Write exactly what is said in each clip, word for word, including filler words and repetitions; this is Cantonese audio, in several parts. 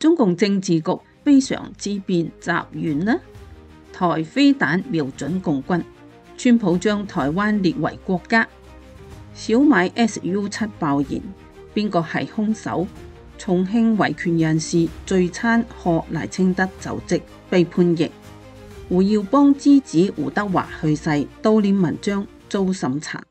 中共政治局非常之變集完呢？台飛彈瞄準共軍，川普將台灣列為國家。小米 S U 七爆燃，邊個係兇手？重慶維權人士聚餐賀賴清德就職被判刑。胡耀邦之子胡德華去世，悼念文章遭審查。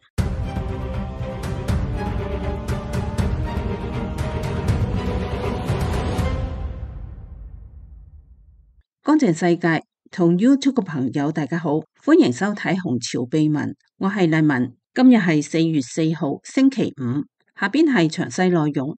乾淨世界同 YouTube 嘅朋友大家好，歡迎收睇紅潮秘聞，我係麗文。今日係四月四號星期五，下邊係詳細內容。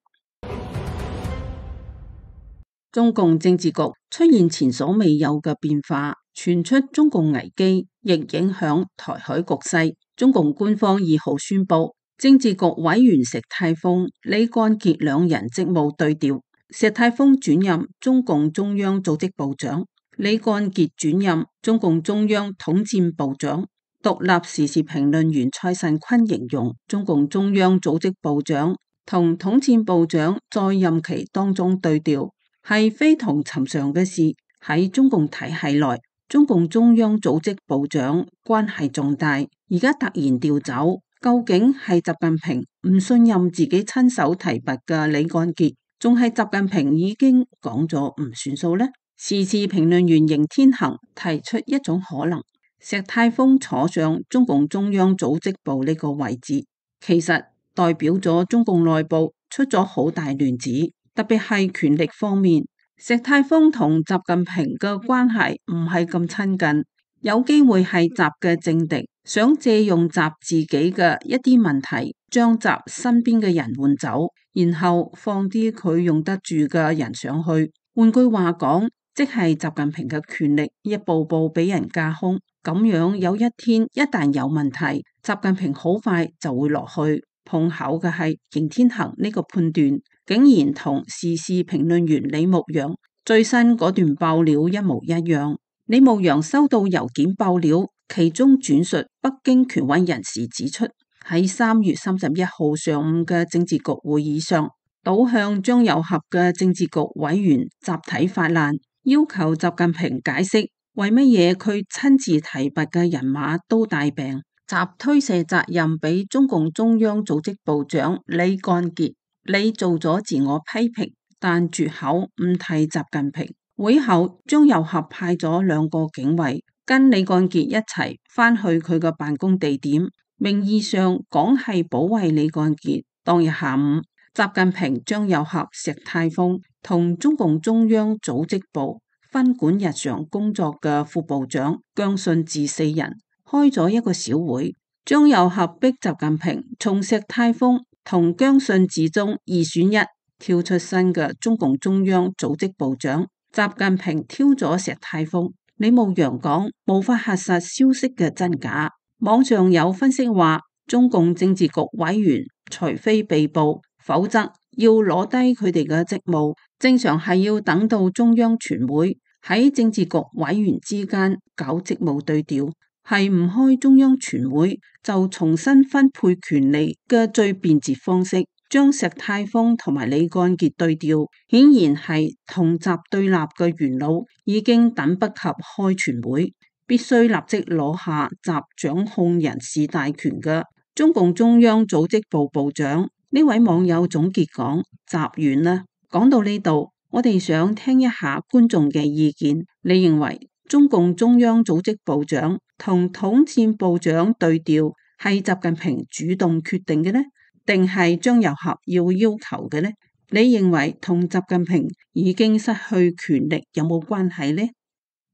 中共政治局出現前所未有嘅變化，傳出中共危機，亦影響台海局勢。中共官方二號宣布，政治局委員石泰峰、李幹傑兩人職務對調，石泰峰轉任中共中央組織部長，李幹傑轉任中共中央統戰部長。獨立時事評論員蔡慎坤形容，中共中央組織部長同統戰部長在任期當中對調，係非同尋常嘅事。喺中共體系內，中共中央組織部長關係重大，而家突然調走，究竟係習近平唔信任自己親手提拔嘅李幹傑，仲係習近平已經講咗唔算數呢？時事評論員邢天行提出一種可能，石泰峰坐上中共中央組織部呢個位置，其實代表咗中共內部出咗好大亂子，特別係權力方面。石泰峰同習近平嘅關係唔係咁親近，有機會係習嘅政敵，想借用習自己嘅一啲問題，將習身邊嘅人換走，然後放啲佢用得住嘅人上去。換句話講，即係習近平嘅權力一步步俾人架空，咁樣有一天一旦有問題，習近平好快就會落去。碰巧嘅係邢天行呢個判斷，竟然同時事評論員李牧陽最新嗰段爆料一模一樣。李牧陽收到郵件爆料，其中轉述北京權威人士指出，喺三月三十一號上午嘅政治局會議上，倒向張又俠嘅政治局委員集體發難，要求習近平解釋為乜嘢佢親自提拔嘅人馬都帶病。習推卸責任俾中共中央組織部長李幹傑，你做咗自我批評，但絕口唔提習近平。會後，張又俠派咗兩個警衛跟李幹傑一齊返去佢嘅辦公地點，名義上講係保衛李幹傑。當日下午，習近平、張又俠、石泰峰同中共中央組織部分管日常工作嘅副部長姜信治四人開咗一個小會，張又俠逼習近平從石泰峰同姜信治中二選一，挑出新嘅中共中央組織部長。習近平挑咗石泰峰。李牧陽講，無法核實消息嘅真假。網上有分析話，中共政治局委員除非被捕，否則要攞低佢哋嘅職務，正常係要等到中央全會喺政治局委員之間搞職務對調，係唔開中央全會就重新分配權力嘅最便捷方式。將石泰峰同埋李幹傑對調，顯然係同習對立嘅元老已經等不及開全會，必須立即攞下習掌控人事大權嘅中共中央組織部部長。呢位網友總結講，習完啦。講到呢度，我哋想聽一下觀眾嘅意見。你認為中共中央組織部長同統戰部長對調係習近平主動決定嘅呢？定係張又俠要要求嘅呢？你認為同習近平已經失去權力有冇關係呢？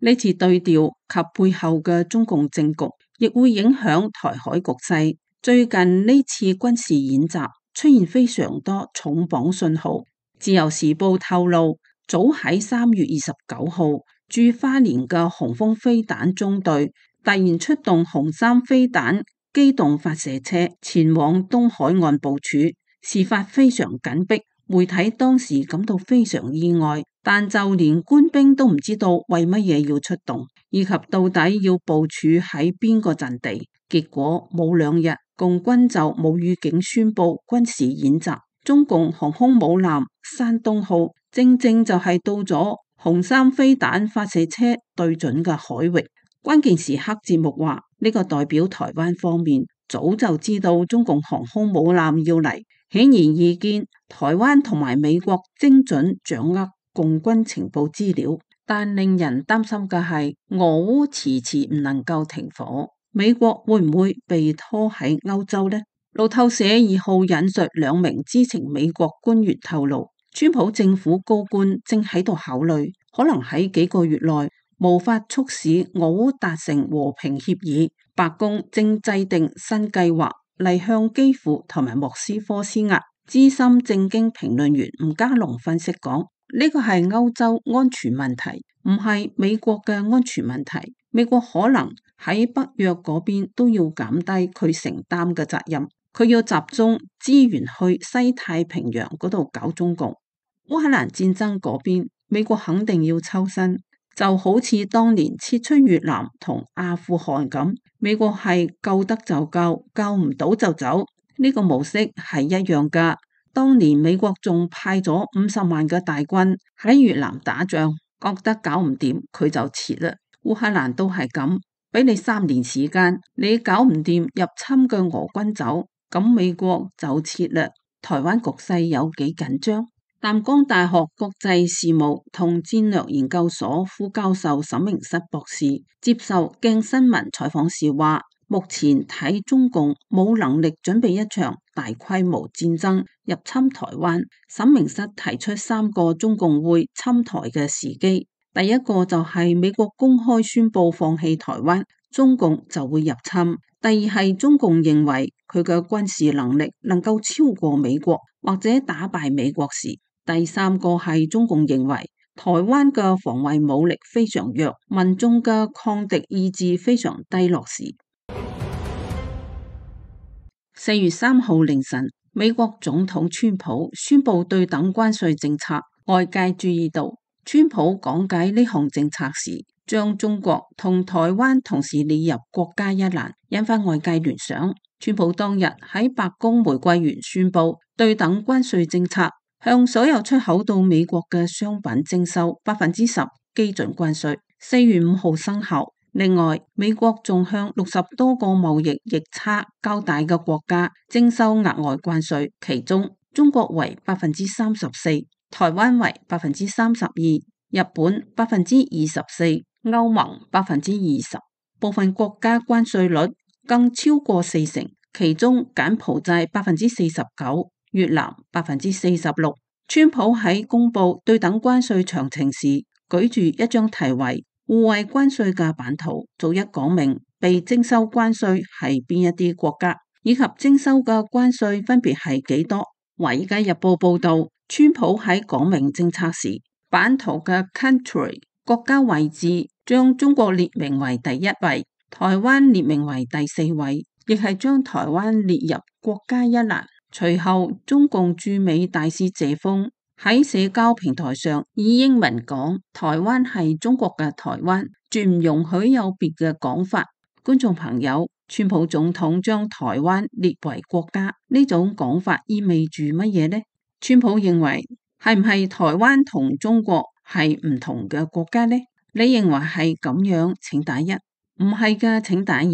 呢次對調及背後嘅中共政局，亦會影響台海局勢。最近呢次軍事演習出現非常多重磅信號。自由時報透露，早喺三月二十九號，駐花蓮嘅紅鋒飛彈中隊突然出動紅三飛彈機動發射車前往東海岸部署，事發非常緊迫，媒體當時感到非常意外，但就連官兵都唔知道為乜嘢要出動，以及到底要部署喺邊個陣地。結果冇兩日，共軍就冇預警宣布軍事演習。中共航空母艦山東號正正就係到咗紅三飛彈發射車對準嘅海域。關鍵時刻節目話，呢個代表台灣方面早就知道中共航空母艦要嚟，顯而易見台灣同埋美國精準掌握共軍情報資料。但令人擔心嘅係，俄烏遲遲唔能夠停火，美國會唔會被拖喺歐洲呢？路透社二號引述兩名知情美國官員透露，川普政府高官正喺度考慮，可能喺幾個月內無法促使俄烏達成和平協議。白宮正制定新計劃嚟向基輔同埋莫斯科施壓。資深政經評論員吳家龍分析講，呢個係歐洲安全問題，唔係美國嘅安全問題。美國可能喺北約嗰邊都要減低佢承擔嘅責任，佢要集中資源去西太平洋嗰度搞中共。烏克蘭戰爭嗰邊，美國肯定要抽身，就好似當年撤出越南同阿富汗咁，美國係救得就救，救唔到就走，呢個模式係一樣噶。當年美國仲派咗五十萬嘅大軍喺越南打仗，覺得搞唔掂佢就撤啦。烏克蘭都係咁，俾你三年時間，你搞唔掂入侵嘅俄軍走，咁美國就撤啦。台灣局勢有幾緊張？淡江大學國際事務同戰略研究所副教授沈明室博士接受鏡新聞採訪時話，目前睇中共冇能力準備一場大規模戰爭入侵台灣。沈明室提出三個中共會侵台嘅時機，第一個就係美國公開宣布放棄台灣，中共就會入侵；第二係中共認為佢嘅軍事能力能夠超過美國或者打敗美國時；第三個係中共認為台灣嘅防衛武力非常弱，民眾嘅抗敵意志非常低落時。四月三號凌晨，美國總統川普宣布對等關稅政策，外界注意到川普講解呢項政策時，將中國同台灣同時列入國家一欄，引發外界聯想。川普當日喺白宮玫瑰園宣布對等關稅政策，向所有出口到美國嘅商品徵收百分之十基準關稅，四月五號生效。另外，美國仲向六十多個貿易逆差較大嘅國家徵收額外關稅，其中中國為百分之三十四，台灣為百分之三十二，日本百分之二十四，歐盟百分之二十，部分國家關稅率更超過四成，其中柬埔寨百分之四十九，越南百分之四十六。川普喺公布對等關稅詳情時，舉住一張題為互惠關稅嘅版圖，逐一講明被徵收關稅係邊一啲國家，以及徵收嘅關稅分別係幾多。華爾街日報報道，川普喺講明政策時，版圖嘅 country 國家位置將中國列明為第一位，台灣列明為第四位，亦係將台灣列入國家一欄。隨後，中共駐美大使謝鋒喺社交平台上以英文講，台灣係中國嘅台灣，絕唔容許有別嘅講法。觀眾朋友，川普總統將台灣列為國家，呢種講法意味住乜嘢呢？川普認為係唔係台灣同中國係唔同嘅國家呢？你認為係咁樣，請打一；唔係嘅，請打二。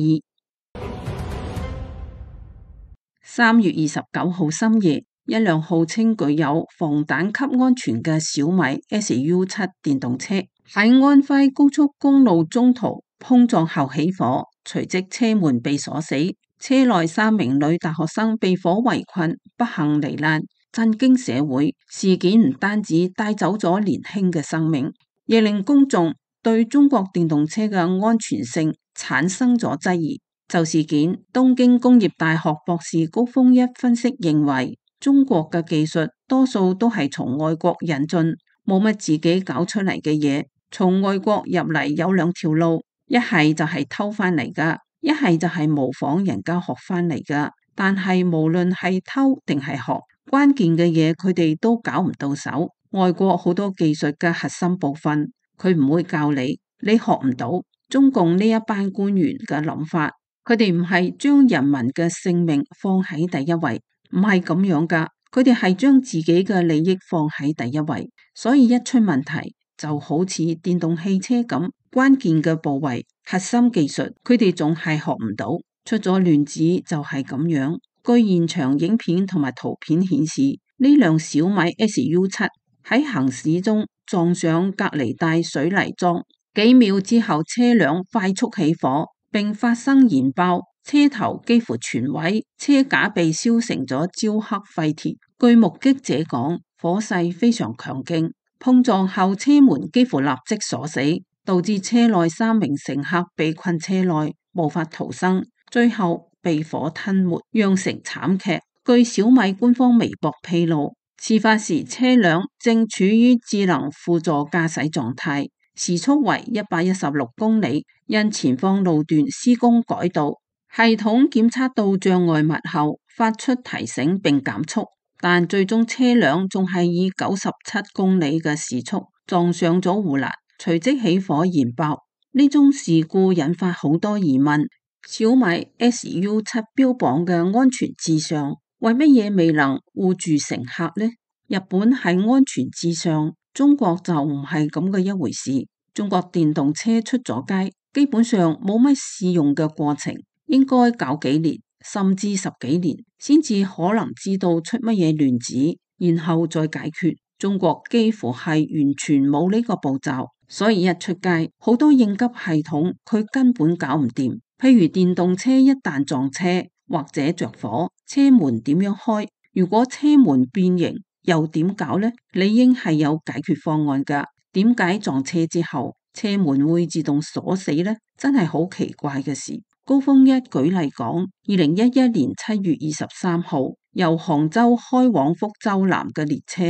三月二十九號深夜，一輛號稱具有防彈級安全嘅小米 S U 七電動車喺安徽高速公路中途碰撞後起火，隨即車門被鎖死，車內三名女大學生被火圍困，不幸罹難，震驚社會。事件唔單止帶走咗年輕嘅生命，亦令公眾對中國電動車嘅安全性產生咗質疑。就事件，東京工業大學博士高峰一分析認為，中國嘅技術多數都係從外國引進，冇乜自己搞出嚟嘅嘢。從外國入嚟有兩條路，一係就係偷翻嚟噶，一係就係模仿人家學翻嚟噶。但係無論係偷定係學，關鍵嘅嘢佢哋都搞唔到手。外國好多技術嘅核心部分，佢唔會教你，你學唔到。中共呢一班官員嘅諗法，佢哋唔係將人民嘅性命放喺第一位，唔係咁樣噶。佢哋係將自己嘅利益放喺第一位，所以一出問題就好似電動汽車咁，關鍵嘅部位、核心技術，佢哋仲係學唔到，出咗亂子就係咁樣。據現場影片同埋圖片顯示，呢輛小米 S U 七喺行駛中撞上隔離帶水泥樁，幾秒之後車輛快速起火，並發生燃爆，車頭幾乎全毀，車架被燒成咗焦黑廢鐵。據目擊者講，火勢非常強勁，碰撞後車門幾乎立即鎖死，導致車內三名乘客被困車內，無法逃生，最後被火吞沒，釀成慘劇。據小米官方微博披露，事發時車輛正處於智能輔助駕駛狀態，時速為一百一十六公里，因前方路段施工改道，系統檢測到障礙物後發出提醒並減速，但最終車輛仲係以九十七公里嘅時速撞上咗護欄，隨即起火燃爆。呢宗事故引發好多疑問，小米 S U 七標榜嘅安全至上，為乜嘢未能護住乘客呢？日本係安全至上，中國就唔係咁嘅一回事。中國電動車出咗街，基本上冇乜試用嘅過程，應該搞幾年甚至十幾年先至可能知道出乜嘢亂子，然後再解決。中國幾乎係完全冇呢個步驟，所以一出街好多應急系統佢根本搞唔掂。譬如電動車一旦撞車或者着火，車門點樣開？如果車門變形又點搞呢？理應係有解決方案㗎。點解撞車之後車門會自動鎖死呢？真係好奇怪嘅事。高峰一舉例講，二零一一年七月二十三號，由杭州開往福州南嘅列車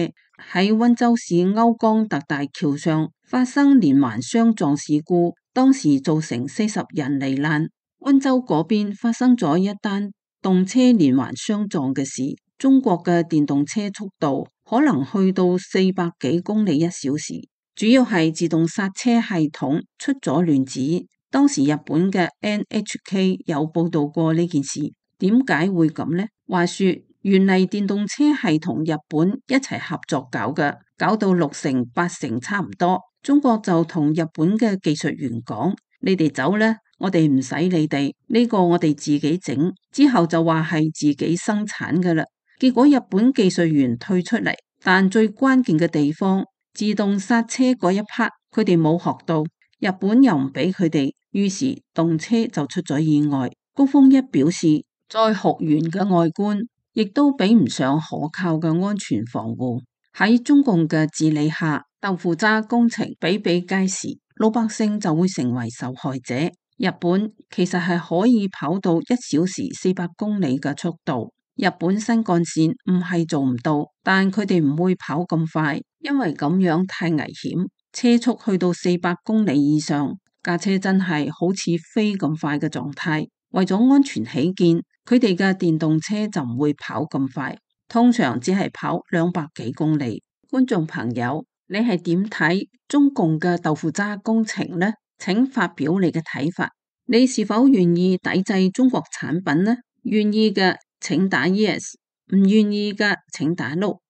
喺溫州市歐江特大橋上發生連環相撞事故，當時造成四十人罹難。溫州嗰邊發生咗一單動車連環相撞嘅事，中國嘅電動車速度可能去到四百幾公里一小時，主要係自動剎車系統出咗亂子。當時日本嘅 N H K 有報道過呢件事，點解會咁呢？話說原嚟電動車係同日本一齊合作搞嘅，搞到六成八成差唔多。中國就同日本嘅技術員講：你哋走呢，我哋唔使你哋，呢個我哋自己整。之後就話係自己生產㗎喇。結果日本技術員退出嚟，但最關鍵嘅地方，自動剎車嗰一 part 佢哋冇學到，日本又唔俾佢哋。於是動車就出咗意外。高峰一表示，再學員嘅外觀亦都比唔上可靠嘅安全防護。喺中共嘅治理下，豆腐渣工程比比皆是，老百姓就會成為受害者。日本其實係可以跑到一小時四百公里嘅速度，日本新幹線唔係做唔到，但佢哋唔會跑咁快，因為咁樣太危險。車速去到四百公里以上，架車真係好似飛咁快嘅狀態，為咗安全起見，佢哋嘅電動車就唔會跑咁快，通常只係跑兩百幾公里。觀眾朋友，你係點睇中共嘅豆腐渣工程呢？請發表你嘅睇法。你是否願意抵制中國產品呢？願意嘅請打 yes， 唔願意嘅請打 no。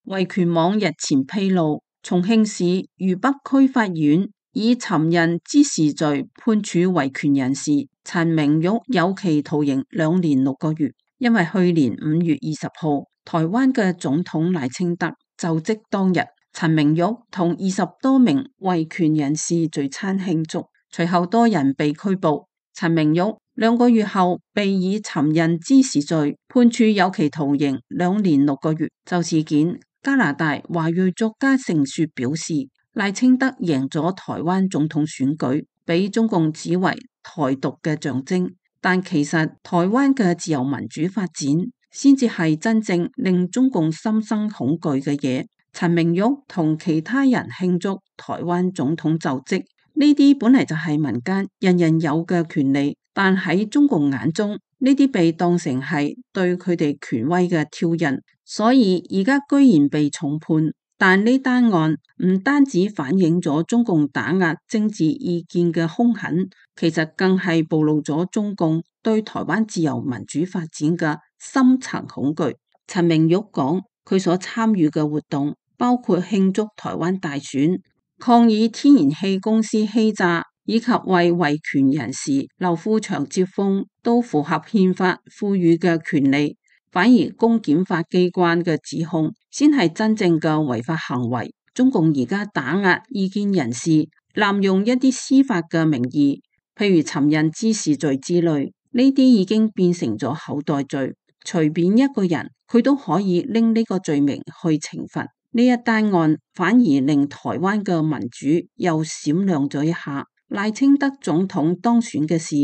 維權網日前披露，重慶市渝北區法院以尋釁滋事罪判處維權人士陳明玉有期徒刑兩年六個月。因為去年五月二十號，台灣嘅總統賴清德就職當日，陳明玉同二十多名維權人士聚餐慶祝，隨後多人被拘捕。陳明玉兩個月後被以尋釁滋事罪判處有期徒刑兩年六個月。就事件，加拿大華裔作家盛雪表示，賴清德贏咗台灣總統選舉，俾中共指為台獨嘅象徵，但其實台灣嘅自由民主發展先至係真正令中共心生恐懼嘅嘢。陳明玉同其他人慶祝台灣總統就職，呢啲本嚟就係民間人人有嘅權利，但喺中共眼中，呢啲被當成係對佢哋權威嘅挑釁，所以而家居然被重判。但呢單案唔單止反映咗中共打壓政治意見嘅兇狠，其實更係暴露咗中共對台灣自由民主發展嘅深層恐懼。陳明玉講，佢所參與嘅活動包括慶祝台灣大選、抗議天然氣公司欺詐，以及為維權人士劉富祥接風，都符合憲法賦予嘅權利。反而公檢法機關嘅指控先係真正嘅違法行為。中共而家打壓意見人士，濫用一啲司法嘅名義，譬如尋釁滋事罪之類，呢啲已經變成咗口袋罪，隨便一個人佢都可以拎呢個罪名去懲罰。呢一單案反而令台灣嘅民主又閃亮咗一下。賴清德總統當選嘅事，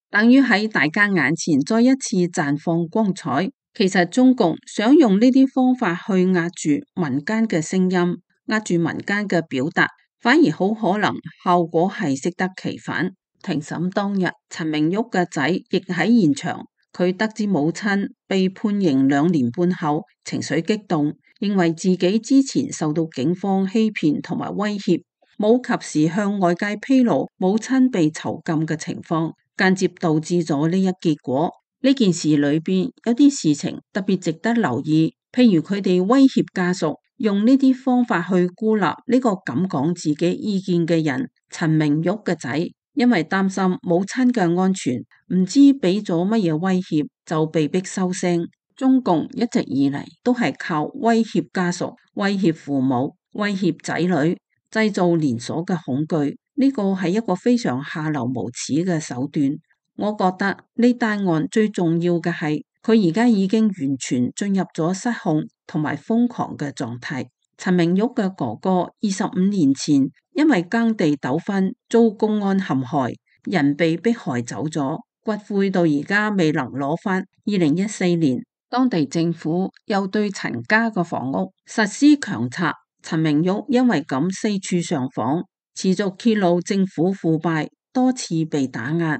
等於喺大家眼前再一次綻放光彩。其實中共想用呢啲方法去壓住民間嘅聲音，壓住民間嘅表達，反而好可能效果係適得其反。庭審當日，陳明玉嘅仔亦喺現場，佢得知母親被判刑兩年半後，情緒激動，認為自己之前受到警方欺騙同埋威脅，冇及時向外界披露母親被囚禁嘅情況，間接導致咗呢一結果。呢件事裏邊有啲事情特別值得留意，譬如佢哋威脅家屬，用呢啲方法去孤立呢個敢講自己意見嘅人。陳明玉嘅仔因為擔心母親嘅安全，唔知俾咗乜嘢威脅，就被逼收聲。中共一直以嚟都係靠威脅家屬、威脅父母、威脅仔女，製造連鎖嘅恐懼。呢個係一個非常下流無恥嘅手段。我覺得呢單案最重要嘅係，佢而家已經完全進入咗失控同埋瘋狂嘅狀態。陳明玉嘅哥哥二十五年前因為耕地糾紛遭公安陷害，人被迫害走咗，骨灰到而家未能攞返。二零一四年，當地政府又對陳家嘅房屋實施強拆，陳明玉因為咁四處上訪，持續揭露政府腐敗，多次被打壓。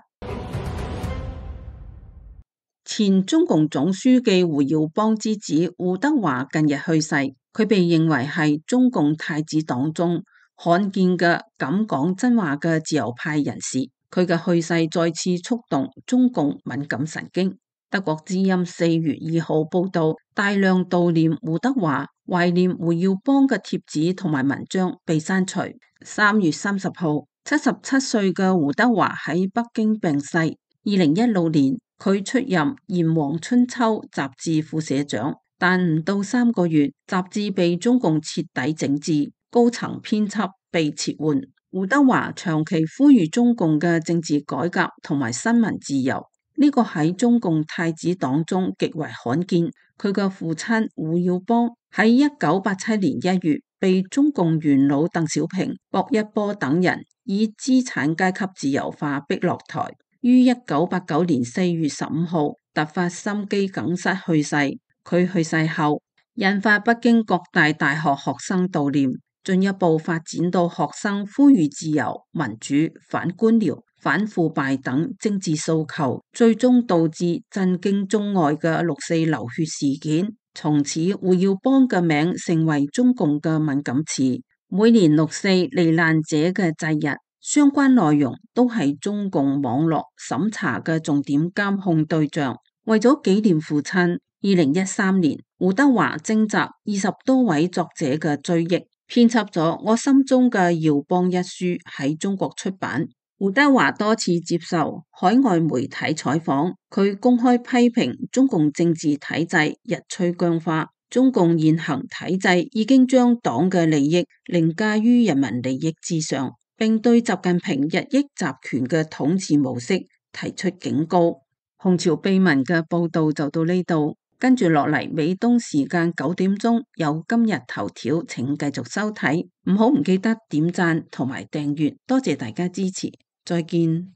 前中共總書記胡耀邦之子胡德華近日去世，佢被認為係中共太子黨中罕見嘅敢講真話嘅自由派人士。佢嘅去世再次觸動中共敏感神經。德國之音四月二號報道，大量悼念胡德華、懷念胡耀邦嘅帖子同埋文章被刪除。三月三十號，七十七歲嘅胡德華喺北京病逝。二零一六年，佢出任《炎黃春秋》雜誌副社長，但唔到三個月，雜誌被中共徹底整治，高層編輯被撤換。胡德華長期呼籲中共嘅政治改革同埋新聞自由，呢個喺中共太子黨中極為罕見。佢嘅父親胡耀邦喺一九八七年一月被中共元老鄧小平、薄一波等人以資產階級自由化逼落台。於一九八九年四月十五號突發心肌梗塞去世。佢去世後，引發北京各大大學學生悼念，進一步發展到學生呼籲自由、民主、反官僚、反腐敗等政治訴求，最終導致震驚中外嘅六四流血事件。從此，胡耀邦嘅名成為中共嘅敏感詞。每年六四罹難者嘅祭日，相關內容都係中共網絡審查嘅重點監控對象。為咗紀念父親，二零一三年胡德華徵集二十多位作者嘅追憶，編輯咗《我心中嘅耀邦》一書喺中國出版。胡德華多次接受海外媒體採訪，佢公開批評中共政治體制日趨僵化，中共現行體制已經將黨嘅利益凌駕於人民利益之上，並對習近平日益集權嘅統治模式提出警告。紅潮秘聞嘅報道就到呢度，跟住落嚟美東時間九點鐘有今日頭條，請繼續收睇，唔好唔記得點讚同埋訂閱，多謝大家支持，再見。